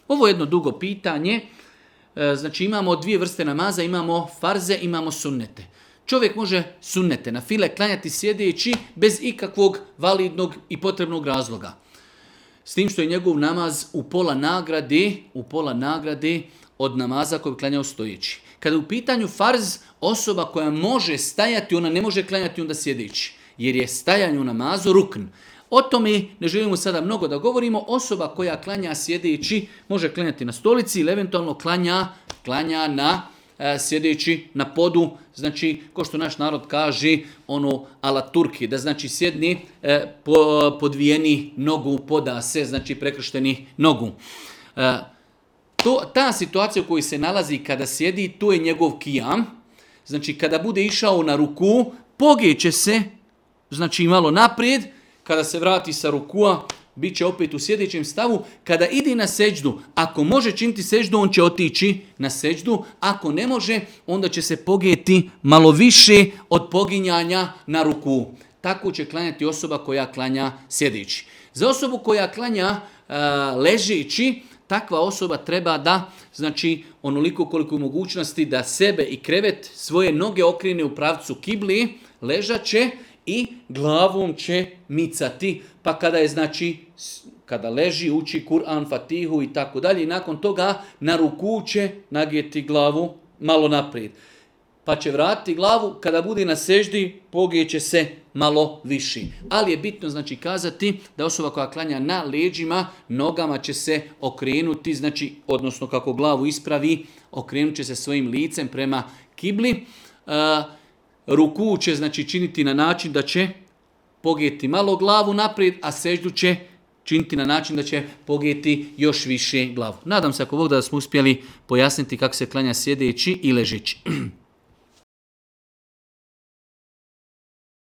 Ovo je jedno dugo pitanje. Znači imamo dvije vrste namaza, imamo farze, imamo sunnete. Čovjek može sunnete na file klanjati sjedeći bez ikakvog validnog i potrebnog razloga. S tim što je njegov namaz u pola nagrade od namaza koji bi klanjao stojeći. Kada je u pitanju farz, osoba koja može stajati, ona ne može klanjati onda sjedeći. Jer je stajanje u namazu rukn. O tome ne želimo sada mnogo da govorimo. Osoba koja klanja sjedeći može klanjati na stolici ili eventualno klanja na sjedeći na podu. Znači, ko što naš narod kaže, ono ala Turki, da znači sjedni podvijeni nogu, poda se, znači prekršteni nogu. Ta situacija u kojoj se nalazi kada sjedi, to je njegov kijam. Znači, kada bude išao na ruku, pogeće se, znači malo naprijed. Kada se vrati sa rukua, bit će opet u sjedećem stavu. Kada ide na seđdu, ako može činiti seđdu, on će otići na seđdu. Ako ne može, onda će se pogijeti malo više od poginjanja na ruku. Tako će klanjati osoba koja klanja sjedeći. Za osobu koja klanja ležeći, takva osoba treba da, znači onoliko koliko je mogućnosti da sebe i krevet svoje noge okrene u pravcu kibli, ležaće i glavom će micati. Pa kada je, znači, kada leži, uči Kur'an, Fatihu i tako dalje, i nakon toga na ruku će nagijeti glavu malo naprijed. Pa će vratiti glavu, kada bude na seždi, pogijeće se malo viši. Ali je bitno, znači, kazati da osoba koja klanja na leđima, nogama će se okrenuti, znači, odnosno kako glavu ispravi, okrenut će se svojim licem prema kibli. Ruku će, znači, činiti na način da će pogijeti malo glavu naprijed, a seždu će činiti na način da će pogijeti još više glavu. Nadam se ako Bog da smo uspjeli pojasniti kako se klanja sjedeći i ležeći.